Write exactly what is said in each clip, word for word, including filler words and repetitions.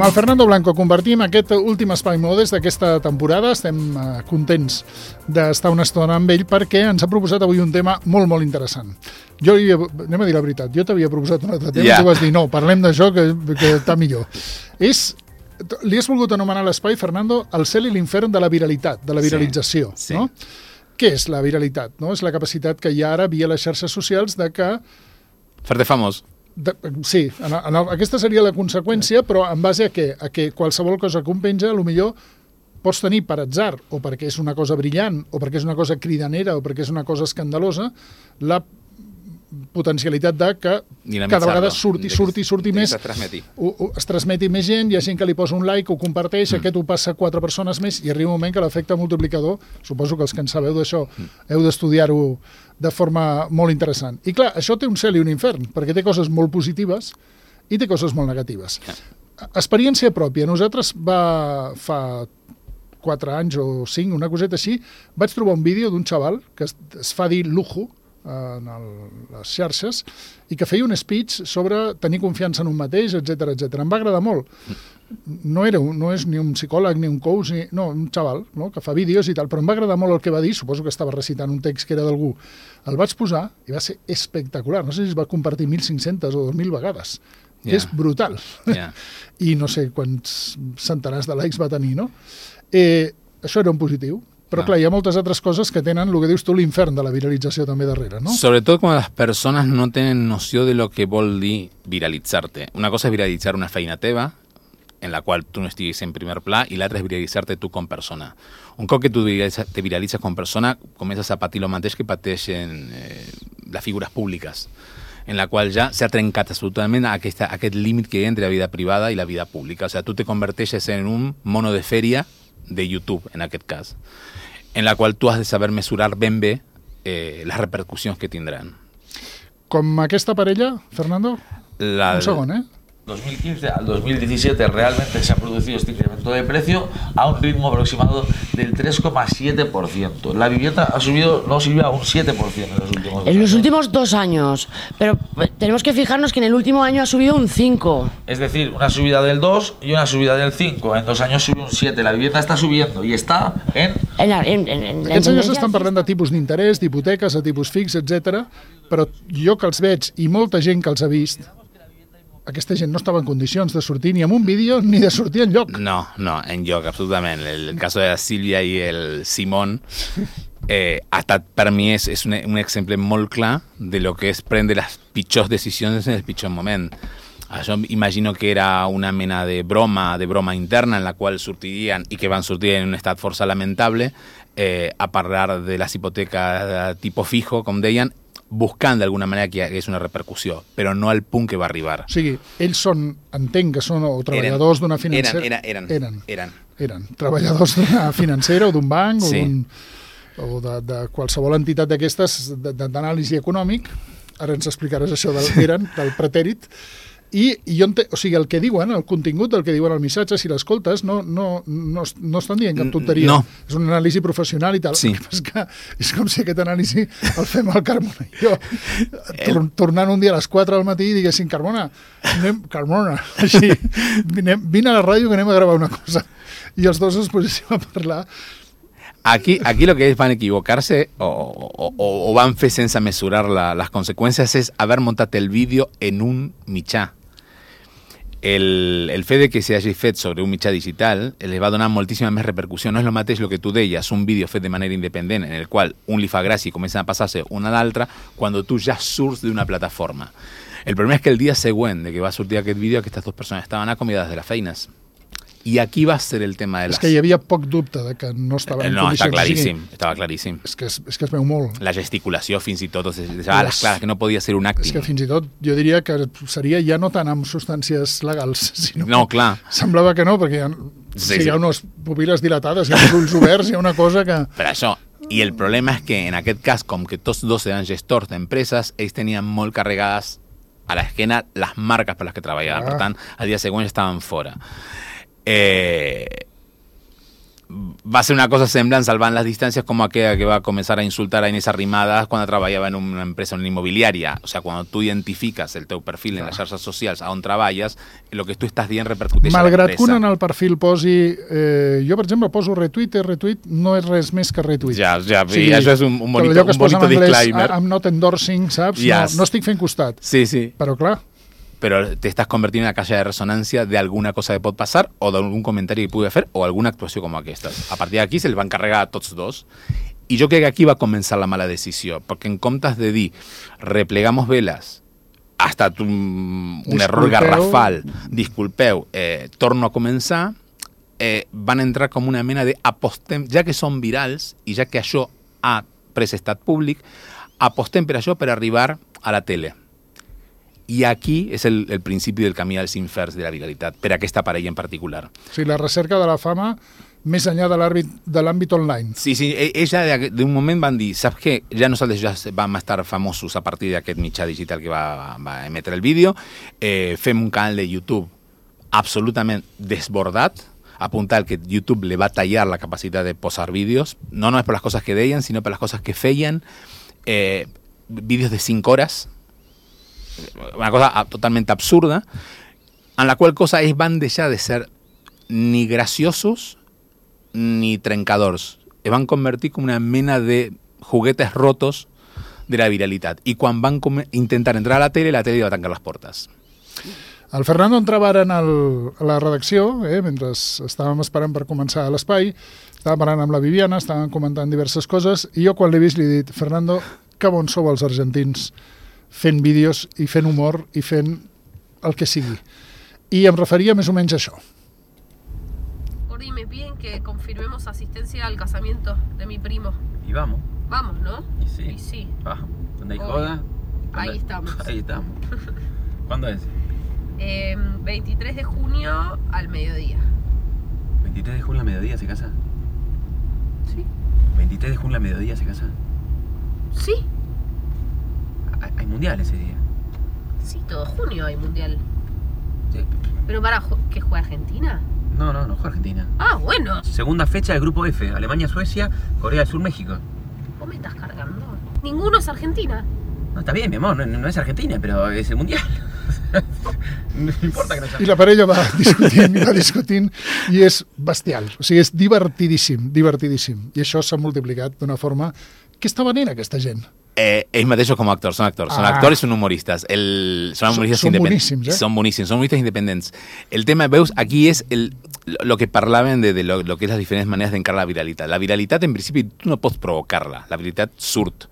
el Fernando Blanco compartim aquest últim espai modes d'aquesta temporada. Estem uh, contents d'estar una estona amb ell perquè ens ha proposat avui un tema molt, molt interessant. Jo, anem a dir la veritat, jo t'havia proposat un altre tema yeah. i tu vas dir, no, parlem d'això que, que està millor. És, li has volgut anomenar l'espai, Fernando, el cel i l'infern de la viralitat, de la viralització. Sí, sí. No? Què és la viralitat? No? És la capacitat que hi ha ara via les xarxes socials de que... Fer-te famós. De, sí, en, en el, aquesta seria la conseqüència, però en base a què? A que qualsevol cosa que un penja, potser pots tenir per atzar, o perquè és una cosa brillant, o perquè és una cosa cridanera, o perquè és una cosa escandalosa, la potencialitat de que cada vegada surti, surti, surti més, ho, ho, es transmeti més gent, hi ha gent que li posa un like, ho comparteix, mm. aquest ho passa a quatre persones més, i arriba un moment que l'efecte multiplicador, suposo que els que en sabeu d'això, mm. heu d'estudiar-ho de forma molt interessant. I clar, això té un cel i un infern, perquè té coses molt positives i té coses molt negatives. Yeah. Experiència pròpia. Nosaltres va fa quatre anys o cinc, una coseta així, vaig trobar un vídeo d'un xaval que es, es fa dir Lujo en el, les xarxes i que feia un speech sobre tenir confiança en un mateix, etcètera, etcètera. Em va agradar molt. No, era un, no és ni un psicòleg ni un coach, ni, no, un xaval, no?, que fa vídeos i tal, però em va agradar molt el que va dir, suposo que estava recitant un text que era d'algú. El vaig posar i va ser espectacular. No sé si es va compartir mil cinc-centes o dos mil vegades. Yeah. És brutal. Yeah. I no sé quants centenars de likes va tenir, no? Eh, això era un positiu. Però, clar, hi ha moltes altres coses que tenen, el que dius tu, l'infern de la viralització també darrere, ¿no? Sobretot quan les persones no tenen noció de lo que vol dir viralitzar-te. Una cosa és viralitzar una feina teva, en la qual tu no estiguis en primer pla, i l'altra és viralitzar-te tu com persona. Un cop que tu te viralitzes com persona, comences a patir el mateix que pateixen eh, les figures públiques, en la qual ja s'ha trencat absolutament aquesta, aquest límit que hi ha entre la vida privada i la vida pública. O sea, tu te converteixes en un mono de feria de YouTube, en aquest cas, en la qual tu has de saber mesurar ben bé eh, les repercussions que tindran. Com aquesta parella, Fernando? La... Un segon, ¿eh? dos mil quince al dos mil diecisiete realmente se ha producido este incremento de precio a un ritmo aproximado del tres coma siete por ciento. La vivienda ha subido, no Silvia, un siete por ciento en los últimos dos En los años. últimos dos años. Pero tenemos que fijarnos que en el último año ha subido un cinco. Es decir, una subida del dos y una subida del cinco. En dos años subió un siete. La vivienda está subiendo y está en... En, en, en, en Aquests senyors estan parlant de tipus d'interès, d'hipoteques, de tipus fix, etcètera. Però jo que els veig, i molta gent que els ha vist, aquesta gent no estava en condicions de sortir ni amb un vídeo ni de sortir enlloc. No, no, enlloc, absolutament. El cas de la Sílvia i el Simón eh, ha estat, per mi, és, és un, un exemple molt clar de lo que és prendre les pitjors decisions en el pitjor moment. Això imagino que era una mena de broma, de broma interna en la qual sortirien, i que van sortir en un estat força lamentable, eh, a parlar de les hipoteques tipo fijo, com deien, buscant d'alguna manera que hi hagués una repercussió, però no al punt que va arribar. O sigui, ells són, entenc que són o treballadors d'una financera... Eren, eren, eren, eren. Eren treballadors d'una financera o d'un banc sí. o, o de, de qualsevol entitat d'aquestes d'anàlisi econòmic. Ara ens explicaràs això del eren, del pretèrit. I, i jo ente... o sigui, el que diuen, el contingut del que diuen el missatge, si l'escoltes, no, no, no, no estan dient cap tonteria. No. És una anàlisi professional i tal. Sí. És, que és com si aquest anàlisi el fem al Carmona. Jo, tor tornant un dia a les quatre del matí i diguessin, Carmona, anem, Carmona, així, vine, vine a la ràdio que anem a gravar una cosa. I els dos es poséssim a parlar. Aquí, aquí lo que ellos van a equivocarse o, o, o van fer sense mesurar la, las consecuencias es haber montat el vídeo en un mitjà. El, el fet de que s'hagi fet sobre un mitjà digital les va donar moltíssima més repercussió. No és el mateix el que tu deies, un vídeo fet de manera independent en el qual un li fa gràcia i comencen a passar-se una a l'altra quan tu ja surts d'una plataforma. El problema és que el dia següent de que va sortir aquest vídeo aquestes dues persones estaven acomiadades de les feines. I aquí va ser el tema de les... És que hi havia poc dubte de que no estaven en no, condicions... No, està claríssim, estava claríssim. És que es, és que es veu molt. La gesticulació fins i tot, o sigui, a les clares que no podia ser un acting. És que fins i tot jo diria que seria ja no tant amb substàncies legals, sinó no, clar. Semblava que no, perquè hi ha, sí, sí, hi ha unes pupil·les dilatades, hi ha uns ulls oberts, hi ha una cosa que... Per això, i el problema és que en aquest cas, com que tots dos eren gestors d'empreses, ells tenien molt carregades a l'esquena les marques per les que treballaven, ah. Per tant, al dia següent estaven fora. Eh, va a ser una cosa semblant, salvant les distàncies, com aquella que va a començar a insultar a Inés Arrimadas quan treballava en una empresa, en una immobiliària. O sea, quan tu identifiques el teu perfil en les xarxes socials on treballes, el que tu estàs dient repercuteix a Malgrat l'empresa. que un en el perfil posi... Eh, jo, per exemple, poso retweet, retweet no és res més que retweet. Ja, ja, o sigui, això és un, un bonito, allò que es un bonito posa en anglès, disclaimer. I'm not endorsing, saps? Yes. No, no estic fent costat. Sí, sí. Però, clar, Pero te estás convirtiendo en la calle de resonancia de alguna cosa que pot passar o d'algun comentari que pugui fer o alguna actuació com aquesta. A partir d'aquí se'ls va encarregar a tots dos. I jo crec que aquí va començar la mala decisió, perquè en comptes de dir replegamos velas, ha estat un, un error garrafal, disculpeu, eh, torno a començar, eh, van entrar com una mena de apostem, ja que són virals i ja que això ha pres estat públic, apostem per això per arribar a la tele. I aquí és el, el principi del camí dels inferns de la viralitat, per aquesta parella en particular. o sigui, la recerca de la fama més enllà de l'àmbit online. Sí, sí, ella d'un moment van dir, saps què? Ja nosaltres ja vam estar famosos a partir d'aquest mitjà digital que va, va emetre el vídeo, eh, fem un canal de YouTube absolutament desbordat, apuntar que YouTube le va tallar la capacitat de posar vídeos, no només per les coses que deien, sinó per les coses que feien, eh, vídeos de cinc hores, una cosa totalmente absurda, en la qual cosa ells van deixar de ser ni graciosos ni trencadors. Es van convertir com una mena de juguetes rotos de la viralitat. I quan van intentar entrar a la tele, la tele va tancar les portes. El Fernando entrava ara en el, a la redacció, eh, mentre estàvem esperant per començar l'espai, estava parlant amb la Viviana, estàvem comentant diverses coses, i jo quan l'he vist li he dit, Fernando, que bons sou els argentins fent vídeos i fent humor i fent el que sigui. I em referia més o menys a això. Gordi, me piden que confirmemos asistencia al casamiento de mi primo. Y vamos. Vamos, ¿no? Y sí. Y sí. Vamos. ¿Dónde hay Obvio. joda? Ahí ¿Dónde- estamos. Ahí estamos. ¿Cuándo es? Eh, veintitrés de junio al mediodía. ¿veintitrés de junio a mediodía se casa? ¿Sí? ¿veintitrés de junio a mediodía se casa? Sí. Hay, hay mundial ese día. Sí, todo junio hay mundial. Sí. Pero para, ju- ¿que juega Argentina? No, no, no juega Argentina. Ah, bueno. Segunda fecha del grupo F. Alemania, Suecia, Corea del Sur, México. ¿Vos me estás cargando? Ninguno es Argentina. No, está bien, mi amor, no, no es Argentina, pero es el mundial. No importa que no sea. I la parella va discutint i va discutint i és bestial, o sigui, és divertidíssim, divertidíssim. I això s'ha multiplicat d'una forma... Què està venent aquesta gent? Eh, ells mateixos com a actors, són actors, són Ah. actors i són humoristes. El, són humoristes Són- són independents. boníssims, eh? Són boníssims, són humoristes independents. El tema, veus, aquí és el, lo, lo que parlaven de, de lo, lo que és les diferents maneres d'encarar la viralitat. La viralitat, en principi, tu no pots provocar-la. La viralitat surt.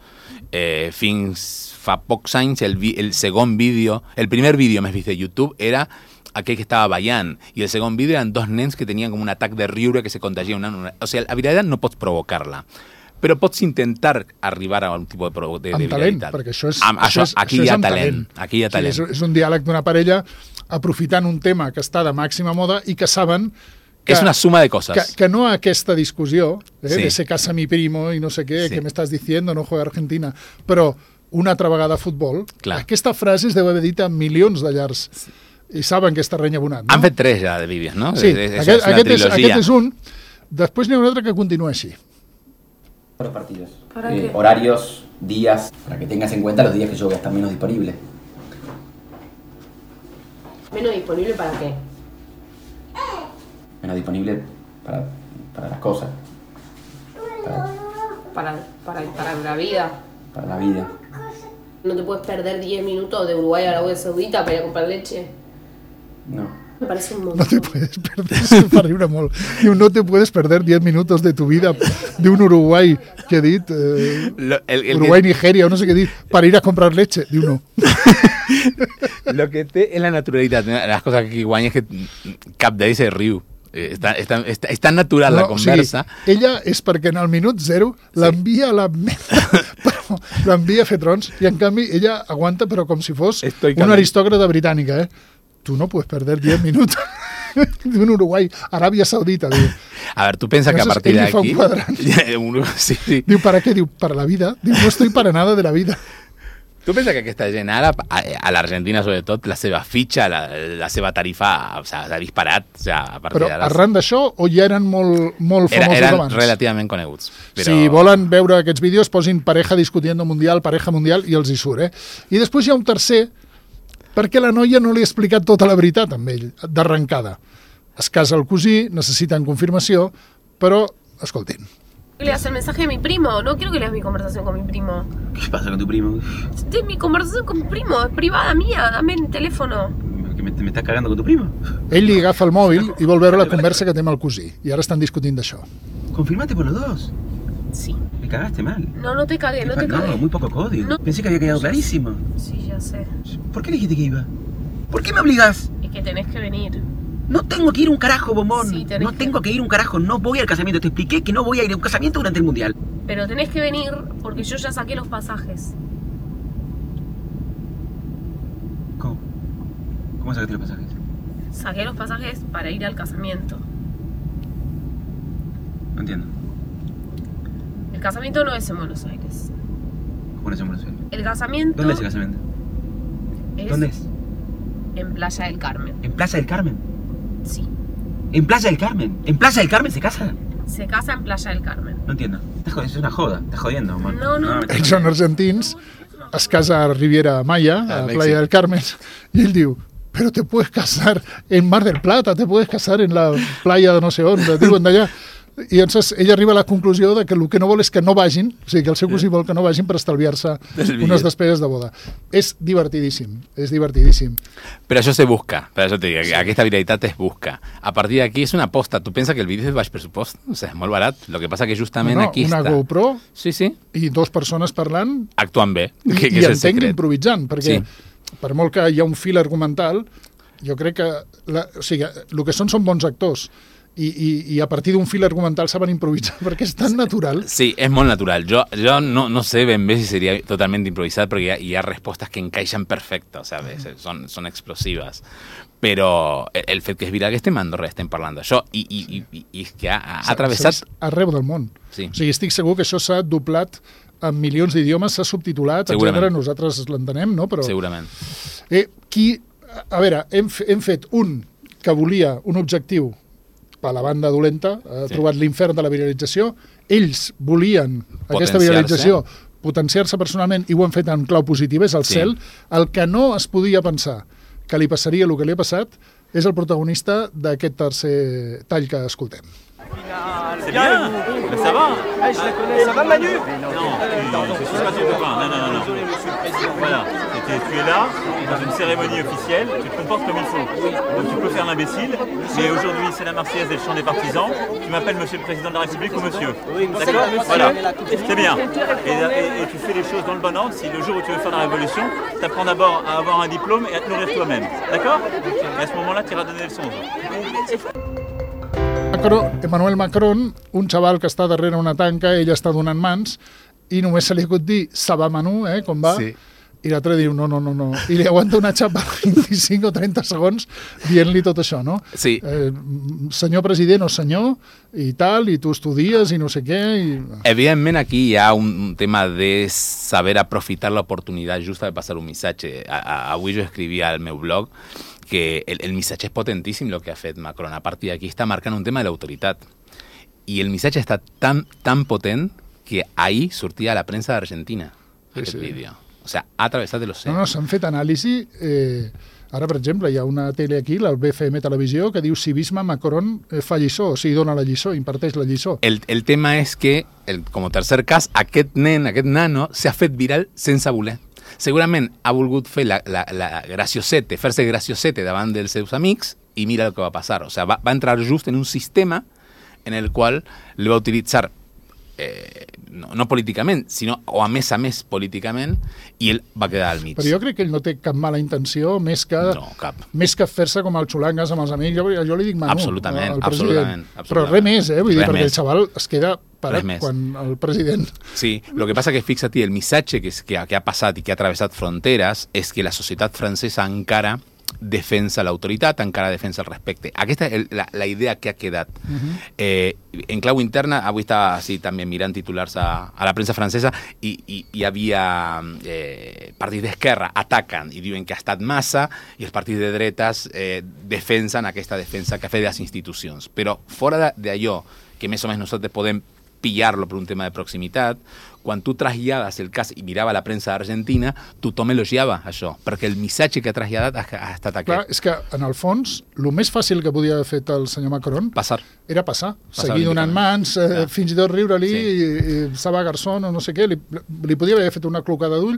Eh, fins fa pocs anys, el, vi, el segon vídeo, el primer vídeo més vist de YouTube era aquell que estava ballant, i el segon vídeo eren dos nens que tenien com un atac de riure que se contagia una, una... O sigui, la viralitat no pots provocar-la, però pots intentar arribar a un tipus de, provo- de, de Amb talent, viralitat. perquè això és, Amb, això, és, aquí això hi és ha amb talent. Aquí hi ha O sigui, talent. és, és un diàleg d'una parella aprofitant un tema que està de màxima moda i que saben que, és una suma de coses. que, que no aquesta discussió eh, Sí. de se casa mi primo i no sé què, Sí. que m'estàs diciendo, no juega Argentina, però una altra vegada a futbol, Clar. aquesta frase es deu haver dit a milions de llars i saben que és terreny abonat. No? Han fet tres ja de vídeos, no? Sí, És, és, aquest, és una aquest, és, trilogia. aquest és un. Després n'hi ha un altre que continua així. Los partidos. ¿Para Eh, qué? horarios, días, para que tengas en cuenta los días que yo voy a estar menos disponible. ¿Menos disponible para qué? Menos disponible para, para las cosas, para, Para, para, para la vida. para la vida. ¿No te puedes perder diez minutos de Uruguay a Arabia Saudita para ir a comprar leche? No. Me parece un No montón. te puedes perder, se'm fa riure molt. Diu, no te puedes perder diez minutos de tu vida d'un Uruguai, que he dit, eh, Lo, el, el Uruguai, que, Nigeria, o no sé què he dit, per ir a comprar leche. Diu, no. lo que té és la naturalitat. Les coses que aquí guanya és que cap d'ells se riu. Eh, Està, està, està, és tan natural la No, conversa. O sigui, ella és perquè en el minut zero l'envia a la merda, però l'envia a fer trons, i en canvi ella aguanta, però com si fos Estoicament. una aristòcrata britànica, eh? Tu no puedes perder diez minutos d'un Uruguai, Aràbia Saudita, diu. A ver, tú piensas que a Entonces, partir de ell li fa un aquí... quadrant. Uno- sí, sí. Diu, ¿para qué? Diu, para la vida. Diu, no estoy para nada de la vida. Tu pensa que aquesta gent ara, a, a l'Argentina sobretot, la seva fitxa, la, la seva tarifa, o sea, s'ha disparat. O sea, a partir Però d'ara... arran d'això, o ja eren molt, molt Era, famosos eren abans? relativament coneguts. Però... Si volen veure aquests vídeos, posin pareja discutiendo mundial, pareja mundial, i els hi surt, eh? I després hi ha un tercer, perquè la noia no li ha explicat tota la veritat amb ell, d'arrencada. Es casa el cosí, necessiten confirmació, però, escoltin. Le das el mensaje de mi primo, no quiero que leas mi conversación con mi primo. ¿Qué pasa con tu primo? De mi conversación con mi primo, es privada mía, dame el teléfono. ¿Que me, me estás cagando con tu primo? Ell li agafa el mòbil i vol veure la conversa que té amb el cosí. I ara estan discutint d'això. Confirmate por los dos. Sí. Me cagaste mal. No, no te cagué, no te No, cagué. muy poco código. No. Pensé que había quedado clarísimo. Sí, ya sé. ¿Por qué dijiste que iba? ¿Por qué me obligas? Es que tenés que venir. No tengo que ir a un carajo, bombón. Sí, tenés no que- tengo que ir a un carajo. No voy al casamiento. Te expliqué que no voy a ir a un casamiento durante el mundial. Pero tenés que venir porque yo ya saqué los pasajes. ¿Cómo? ¿Cómo sacaste los pasajes? Saqué los pasajes para ir al casamiento. No entiendo. El casamiento no es en Buenos Aires. ¿Cómo lo hacemos en Buenos Aires? El casamiento ¿Dónde es el casamiento? es ¿Dónde es? en Playa del Carmen. ¿En Plaza del Carmen? Sí. ¿En Playa del Carmen? ¿En Playa del Carmen se casa? Se casa en Playa del Carmen. No entiendo. Estás jod- Es una joda. Estás jodiendo, bombón. No, no. me estás Ells són argentins, es casa a Riviera Maya, A a Mèxic. Playa del Carmen, i ell diu, pero te puedes casar en Mar del Plata, te puedes casar en la playa de no sé on, diuen d'allà. I llavors ella arriba a la conclusió de que el que no vol és que no vagin, o sigui, que el seu cosí vol que no vagin per estalviar-se Del unes bitllet. despeses de boda. És divertidíssim, és divertidíssim. Però això se busca, per això te dic, aquesta viralitat es busca. A partir d'aquí és una aposta. Tu pensa que el vídeo és de baix pressupost? O sigui, és molt barat. El que passa que justament No, no, aquí una està... GoPro Sí, sí, i dues persones parlant actuant bé, i, que, que i és el entenc secret. improvisant, perquè Sí. per molt que hi ha un fil argumental, jo crec que la, o sigui, el que són són bons actors i, i, i a partir d'un fil argumental saben improvisar perquè és tan natural. Sí, és molt natural. Jo, jo no, no sé ben bé si seria totalment improvisat perquè hi ha, hi ha respostes que encaixen perfecte, ¿sabes? Són, són explosives. Però el, el fet que és viral que estem a Andorra estem parlant d'això i, i, i, i és que ha, ha atravessat... S'ha vist arreu del món. Sí. O sigui, estic segur que això s'ha doblat en milions d'idiomes, s'ha subtitulat, Segurament. etcètera. Nosaltres l'entenem, no? Però, Segurament. eh, qui, a veure, hem, f- hem fet un que volia un objectiu per la banda dolenta, ha Sí. trobat l'infern de la viralització, ells volien aquesta Potenciar-se. viralització, potenciar-se personalment i ho han fet en clau positiva, és el Sí. cel. El que no es podia pensar que li passaria el que li ha passat és el protagonista d'aquest tercer tall que escoltem. C'est bien, mais ça va. Ah, je la connais, ça va Manu? Non, tu suis pas ton copain, non, non, non, non. Voilà, tu, tu es là, dans une cérémonie officielle, tu te comportes comme il faut. Donc tu peux faire l'imbécile, mais aujourd'hui c'est la Marseillaise et le chant des partisans, tu m'appelles Monsieur le Président de la République ou Monsieur. D'accord? Voilà, c'est bien. Et, et, et tu fais les choses dans le bon ordre, si le jour où tu veux faire la révolution, tu apprends d'abord à avoir un diplôme et à te nourrir toi-même. D'accord? Et à ce moment-là, tu iras donner des leçons aux autres. Macron, Emmanuel Macron, un xaval que està darrere una tanca, ell està donant mans, i només se li acut dir «ça va, Manu», eh, com va, Sí. i l'altre diu «no, no, no, no», i li aguanta una xapa vint-i-cinc o trenta segons dient-li tot això, no? Sí. Eh, senyor president o senyor, i tal, i tu estudies, i no sé què, i... Evidentment aquí hi ha un, un tema de saber aprofitar l'oportunitat justa de passar un missatge. A, a, avui jo escrivia al meu blog que el, el missatge és potentíssim el que ha fet Macron. A partir d'aquí està marcant un tema de l'autoritat. I el missatge està tan, tan potent que ahir sortia a la premsa d'Argentina Sí, aquest sí. vídeo. O sea, ha atravessat el No, océan. no, s'han fet anàlisi... Eh, ara, per exemple, hi ha una tele aquí, la B F M Televisió, que diu civisme, Macron eh, fa lliçó, o sigui, dona la lliçó, imparteix la lliçó. El, el tema és que, el, com a tercer cas, aquest nen, aquest nano, s'ha fet viral sense voler. Segurament ha volgut fer la, la, la graciosete, fer-se graciosete davant dels seus amics i mira el que va passar. O sea, va, va entrar just en un sistema en el qual li va utilitzar eh, no, no políticament, sinó o a més a més políticament, i ell va quedar al mig. Però jo crec que ell no té cap mala intenció, més que, No, cap. més que fer-se com el xulangues amb els amics. Jo, jo li dic Manu, Absolutament, al president. absolutament, Però absolutament. res més, eh? Vull dir, Res perquè més. el xaval es queda parat Res més. quan el president... Sí, lo que pasa que fíjate, el missatge que, es- que, ha- que ha passat i que ha atravessat fronteres és que la societat francesa encara defensa a l'autoritat, encara defensa el respecte. Aquesta és la, la idea que ha quedat. Uh-huh. eh, en clau interna, avui estava sí, també mirant titulars a, a la premsa francesa i, i hi havia eh, partits d'esquerra ataquen i diuen que ha estat massa i els partits de dretes eh, defensen aquesta defensa que ha fet de les institucions. Però fora d'allò, que més o menys nosaltres podem pillar-lo per un tema de proximitat, quan tu trasllades el cas i mirava la premsa argentina, tothom elogiava això, perquè el missatge que ha traslladat ha, ha estat aquest. Clar, és que, en el fons, el més fàcil que podia haver fet el senyor Macron Passar. era passar, Passar seguir donant mans, eh, ja. fins i tot riure-li, Sí. i, i Saba Garzón o no sé què, li, li podia haver fet una clocada d'ull,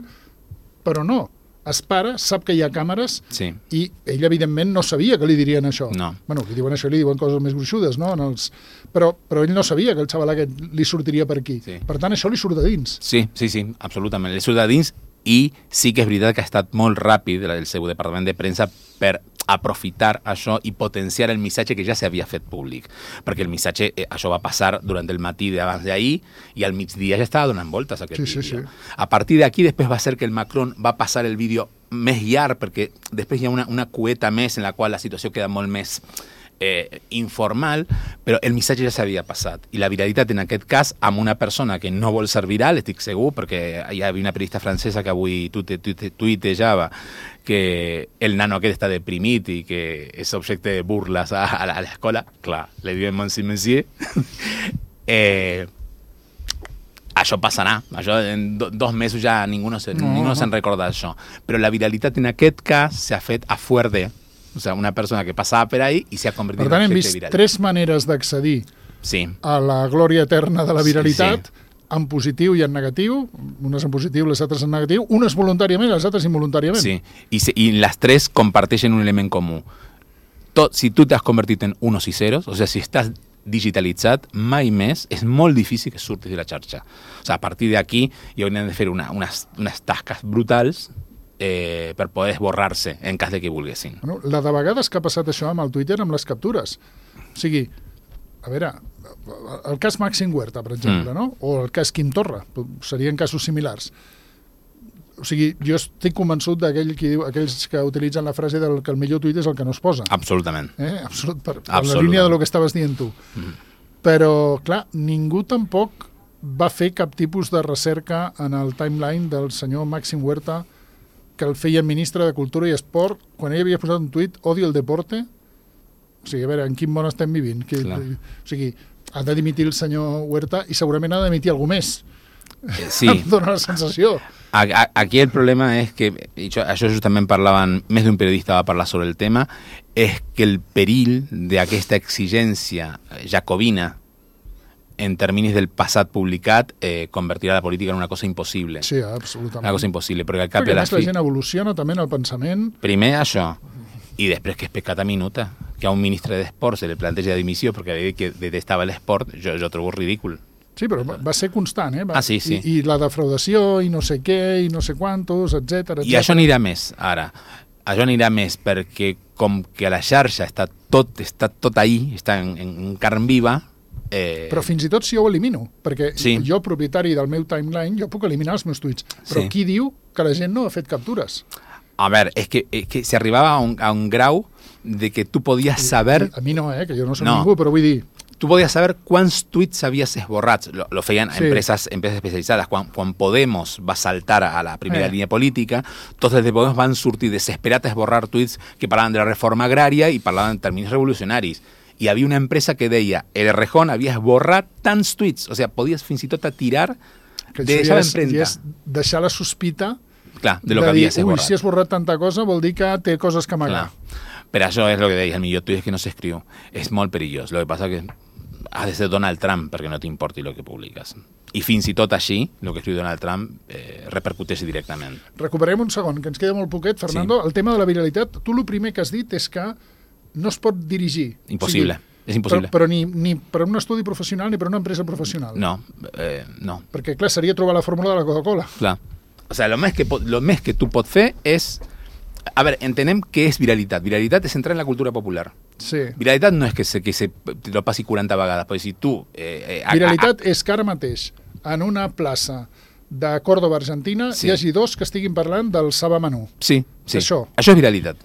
però no. Es para, sap que hi ha càmeres Sí. i ell, evidentment, no sabia que li dirien això. No. Bueno, li diuen això i li diuen coses més gruixudes, no? En els... però, però ell no sabia que el xaval aquest li sortiria per aquí. Sí. Per tant, això li surt de dins. Sí, sí, sí, absolutament. Li surt de dins i sí que és veritat que ha estat molt ràpid el seu departament de premsa per aprofitar això i potenciar el missatge que ja s'havia fet públic. Perquè el missatge, eh, això va passar durant el matí d'abans d'ahir i al migdia ja estava donant voltes aquest Sí, sí, vídeo. sí. A partir d'aquí després va ser que el Macron va passar el vídeo més llarg perquè després hi ha una, una cueta més en la qual la situació queda molt més eh, informal, però el missatge ja s'havia passat. I la viralitat en aquest cas amb una persona que no vol ser viral, estic segur, perquè hi havia una periodista francesa que avui tuite, tuite, tuitejava que el nano aquest està deprimit i que és objecte de burles a, a l'escola. Clar, le diuen Monsieur Monsieur. eh, això passarà. Això en do, dos mesos ja ningú no, se, No. ningú no se'n recorda d'això. Però la viralitat en aquest cas s'ha fet a fuerte. O sea, una persona que passava per ahí i s'ha convertit Per tant, en hem objecte vist viral. tres maneres d'accedir Sí, a la glòria eterna de la viralitat, Sí, en positiu i en negatiu, unes en positiu, les altres en negatiu, unes voluntàriament, les altres involuntàriament. sí. I, se, I les tres comparteixen un element comú. Tot, si tu t'has convertit en unos i ceros, o sea, si estàs digitalitzat, mai més és molt difícil que surtis de la xarxa. O sea, a partir d'aquí hi haurien de fer una, unes, unes tasques brutals eh, per poder esborrar-se en cas de que volguessin. Bueno, la de vegades que ha passat això amb el Twitter, amb les captures. O sigui, a veure, el cas Màxim Huerta, per exemple, Mm. no? O el cas Quim Torra, serien casos similars. O sigui, jo estic convençut d'aquell qui diu, aquells que utilitzen la frase del que el millor tuit és el que no es posa. Absolutament. Eh? Absolut, per, per la Absolutament. línia de lo que estaves dient tu. Mm. Però, clar, ningú tampoc va fer cap tipus de recerca en el timeline del senyor Màxim Huerta que el feia ministre de Cultura i Esport quan ell havia posat un tuit, odio el deporte. O sigui, a veure, en quin món estem vivint? Que, Clar. o sigui, ha de dimitir el senyor Huerta i segurament ha de dimitir algú més. Eh, sí. Em dóna la sensació. A, a, aquí el problema és que, i això, això justament parlaven, més d'un periodista va parlar sobre el tema, és que el perill d'aquesta exigència jacobina en terminis del passat publicat eh, convertirà la política en una cosa impossible. Sí, absolutament. Una cosa impossible, perquè al cap Perquè de a la més la fi... gent evoluciona també en el pensament. Primer això, i després que és pecata minuta, que a un ministre d'Esport se li planteja dimissió perquè havia dit que detestava l'esport, jo, jo trobo ridícul. Sí, però va va ser constant, eh? Va, Ah, sí, sí. I, I la defraudació, i no sé què, i no sé quantos, etcètera, I això anirà més, ara. Això anirà més perquè com que a la xarxa està tot, està tot ahí, està en, en carn viva, Eh... Però fins i tot si jo ho elimino, perquè Sí. jo, propietari del meu timeline, jo puc eliminar els meus tuits. Però Sí. qui diu que la gent no ha fet captures? A veure, és que, és que se arribava a un, a un grau de que tu podies saber... A mi no, eh, que jo no soc No. ningú, però vull dir... Tu podies saber quants tuits havies esborrat. Lo, lo feien Sí. empreses, empreses especialitzades. Quan, quan Podemos va saltar a la primera Eh. línia política, tots des de Podemos van sortir desesperats a esborrar tuits que parlaven de la reforma agrària i parlaven en termes revolucionaris. I havia una empresa que deia el Errejón havia esborrat tants tuits, o sigui, podies fins i tot atirar Que de això ja esa és, empremta. ja és deixar la sospita Clar, de lo de que dir, havies ui, esborrat. si has borrat tanta cosa vol dir que té coses que amagar. Clar. Però això és el que deia, el millor tuit és que no s'escriu. És molt perillós. El que passa que has de ser Donald Trump perquè no t'importi el que publiques. I fins i tot així, el que escriu Donald Trump eh, repercuteix directament. Recuperem un segon, que ens queda molt poquet, Fernando. Sí. El tema de la viralitat, tu el primer que has dit és que no es pot dirigir. Impossible. O sigui, és impossible. Però, però ni, ni per un estudi professional ni per una empresa professional. No, eh, no. Perquè, clar, seria trobar la fórmula de la Coca-Cola. Clar. O sigui, el més que, pot, lo més que tu pots fer és... A veure, entenem què és viralitat. Viralitat és entrar en la cultura popular. Sí. Viralitat no és que se, que se te lo passi quaranta vegades, perquè si tu... Eh, eh, Viralitat és que ara mateix, en una plaça de Córdoba, Argentina, Sí. hi hagi dos que estiguin parlant del Saba Menú. Sí, sí. Això. Això és viralitat.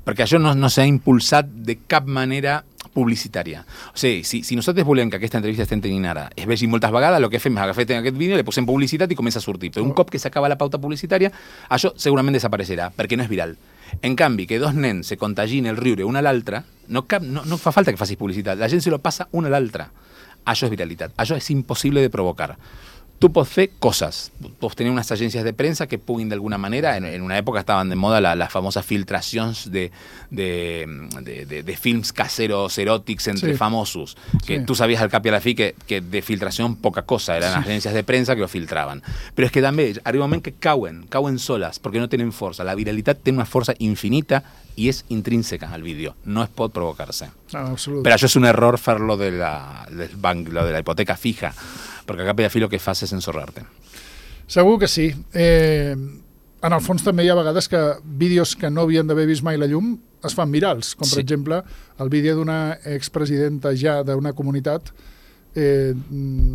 perquè això no, no s'ha impulsat de cap manera publicitària. O sigui, si, si nosaltres volem que aquesta entrevista estem tenint ara es vegi moltes vegades, el que fem és agafar aquest vídeo, li posem publicitat i comença a sortir. Però un cop que s'acaba la pauta publicitària, això segurament desapareixerà, perquè no és viral. En canvi, que dos nens se contagin el riure un a l'altre, no, cap, no, no fa falta que facis publicitat, la gent se lo passa un a l'altre. Això és viralitat, això és impossible de provocar. Tu pots fer coses, pots tenir unes agències de premsa que puguin d'alguna manera, en, en una època estaven de moda les la famoses filtracions de, de, de, de, de films caseros eròtics entre sí. famosos, que sí. tu sabies al cap i a la fi que, que de filtració poca cosa, eren sí. agències de premsa que ho filtraven. Però és que també arriba un moment que cauen, cauen soles, perquè no tenen força. La viralitat té una força infinita i és intrínseca al vídeo, no es pot provocar-se. Ah, però això és un error fer-lo de la, del banc, lo de la hipoteca fija, perquè a cap i a fi el que fas és ensorrar-te. Segur que sí. Eh, en el fons també hi ha vegades que vídeos que no havien d'haver vist mai la llum es fan virals, com per sí. exemple el vídeo d'una expresidenta ja d'una comunitat eh,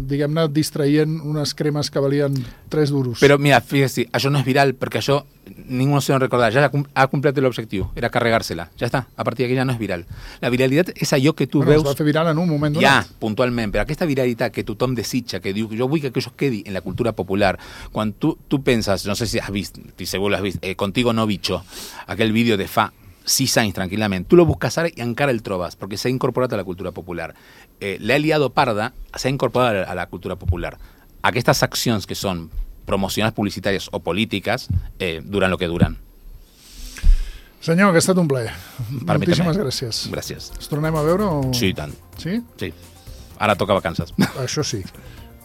diguem-ne, distraient unes cremes que valien tres duros. Però mira, fíjate, això no és viral perquè això ningú se lo recordar, ja ha complert l'objectiu, era carregar-se-la, ja està, a partir d'aquí ja no és viral. La viralitat és allò que tu bueno, veus... Es va fer viral en un moment donat. Ja, puntualment, però aquesta viralitat que tothom desitja, que diu, jo vull que això quedi en la cultura popular, quan tu, tu penses, no sé si has vist, si segur l'has vist, eh, Contigo no bicho, aquell vídeo de fa sis anys tranquil·lament, tu lo busques ara i encara el trobes, perquè s'ha incorporat a la cultura popular. Eh, L'ha liado parda s'ha incorporat a la cultura popular. Aquestes accions que són promocionals publicitàries o polítiques eh, duran el que duran. Senyor, que ha estat un plaer. Per Moltíssimes gràcies. Gràcies. Ens tornem a veure? O... Sí, i tant. Sí? Sí. Ara toca vacances. Això sí.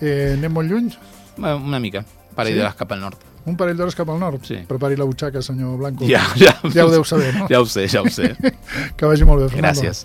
Eh, anem molt lluny? Una mica. Parell sí? d'hores cap al nord. Un parell d'hores cap al nord? Sí. Prepari la butxaca, senyor Blanco. Ja, ja. Ja ho deu saber, no? Ja ho sé, ja ho sé. Que vagi molt bé, Fernando. Gràcies.